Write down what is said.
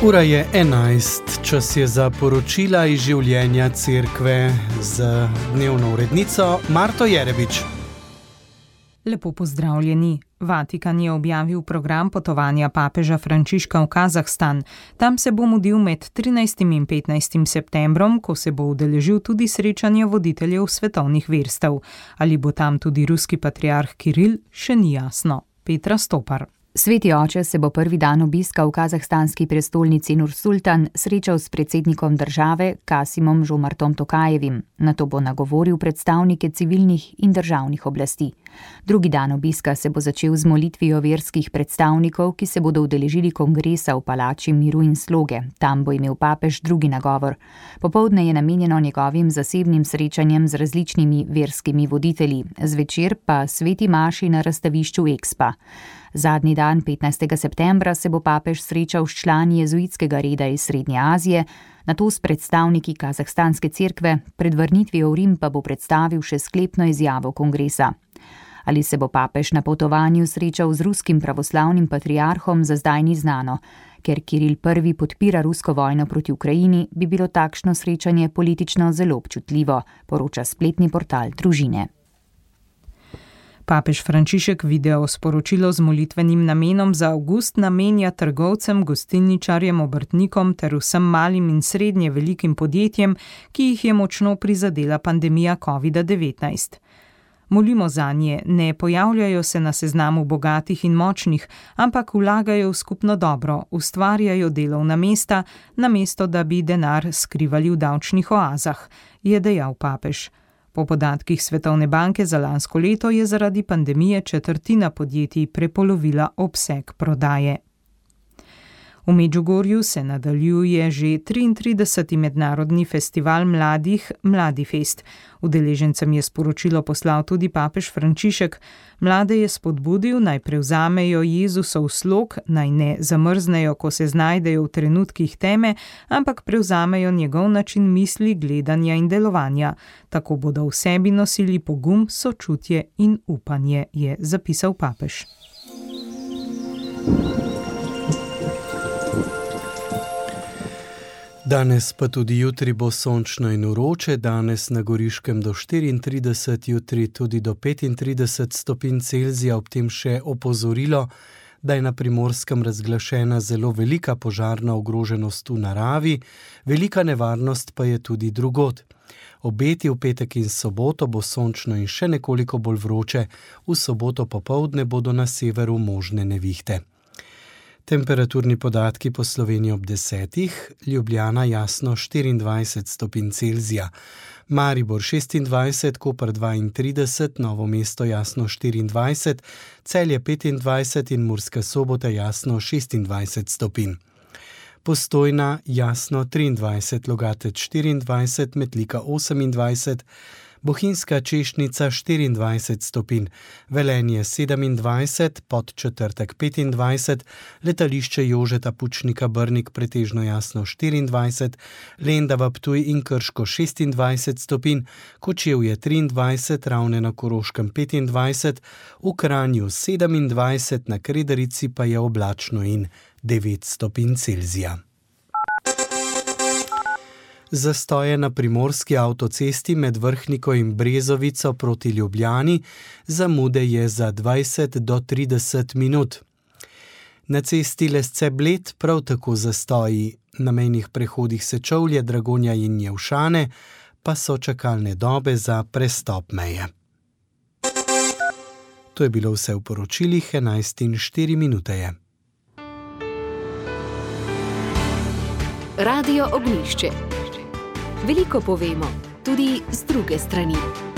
Ura je 11, čas je za poročila iz življenja cerkve z dnevno urednico Marto Jerebič. Lepo pozdravljeni. Vatikan je objavil program potovanja papeža Frančiška v Kazahstan. Tam se bo mudil med 13. in 15. septembrom, ko se bo udeležil tudi srečanja voditeljev svetovnih verstev. Ali bo tam tudi ruski patriarh Kiril, še ni jasno. Petra Stopar. Sveti oče se bo prvi dan obiska v kazahstanski prestolnici Nur-Sultan srečal s predsednikom države Kasimom Žomartom Tokajevim. Nato bo nagovoril predstavnike civilnih in državnih oblasti. Drugi dan obiska se bo začel z molitvijo verskih predstavnikov, ki se bodo udeležili kongresa v palači miru in sloge. Tam bo imel papež drugi nagovor. Popoldne je namenjeno njegovim zasebnim srečanjem z različnimi verskimi voditelji. Zvečer pa sveti maši na razstavišču Expa. Zadnji dan, 15. septembra, se bo papež srečal s člani jezuitskega reda iz Srednje Azije, nato s predstavniki kazahstanske cerkve, pred vrnitvijo v Rim pa bo predstavil še sklepno izjavo kongresa. Ali se bo papež na potovanju srečal z ruskim pravoslavnim patriarhom, za zdaj ni znano. Ker Kiril I podpira rusko vojno proti Ukrajini, bi bilo takšno srečanje politično zelo občutljivo, poroča spletni portal Družine. Papež Frančišek video sporočilo z molitvenim namenom za avgust namenja trgovcem, gostilničarjem, obrtnikom ter vsem malim in srednje velikim podjetjem, ki jih je močno prizadela pandemija COVID-19. Molimo zanje, ne pojavljajo se na seznamu bogatih in močnih, ampak vlagajo v skupno dobro, ustvarjajo delovna mesta, namesto da bi denar skrivali v davčnih oazah, je dejal papež. Po podatkih Svetovne banke za lansko leto je zaradi pandemije četrtina podjetij prepolovila obseg prodaje. V Medžugorju se nadaljuje že 33. mednarodni festival mladih Mladifest. Udeležencem je sporočilo poslal tudi papež Frančišek. Mlade je spodbudil, naj prevzamejo Jezusov slog, naj ne zamrznejo, ko se znajdejo v trenutkih teme, ampak prevzamejo njegov način misli, gledanja in delovanja. Tako bodo v sebi nosili pogum, sočutje in upanje, je zapisal papež. Danes pa tudi jutri bo sončno in vroče, danes na Goriškem do 34, jutri tudi do 35 stopinj Celzija, ob tem še opozorilo, da je na Primorskem razglašena zelo velika požarna ogroženost v naravi, velika nevarnost pa je tudi drugod. Obeti v petek in soboto bo sončno in še nekoliko bolj vroče, v soboto popoldne bodo na severu možne nevihte. Temperaturni podatki po Sloveniji ob 10, Ljubljana jasno 24 stopinj Celzija, Maribor 26, Koper 32, Novo mesto jasno 24, Celje 25 in Murska Sobota jasno 26 stopinj. Postojna jasno 23, Logatec 24, Metlika 28, Bohinjska Češnica 24 stopinj, Velenje 27, Podčetrtek 25, letališče Jožeta Pučnika Brnik pretežno jasno 24, Lendava, Ptuj in Krško 26 stopinj, Kočevje 23, Ravne na Koroškem 25, v Kranju 27, na Kredarici pa je oblačno in 9 stopinj Celzija. Zastoje na primorski avtocesti med Vrhniko in Brezovico proti Ljubljani, zamude je za 20 do 30 minut. Na cesti Lesce-Bled prav tako zastoji, na mejnih prehodih Sečovlje, Dragonja in Njevšane pa so čakalne dobe za prestop meje. To je bilo vse v poročilih, 11:04 je. Radio Ognjišče. Veliko povemo, tudi z druge strani.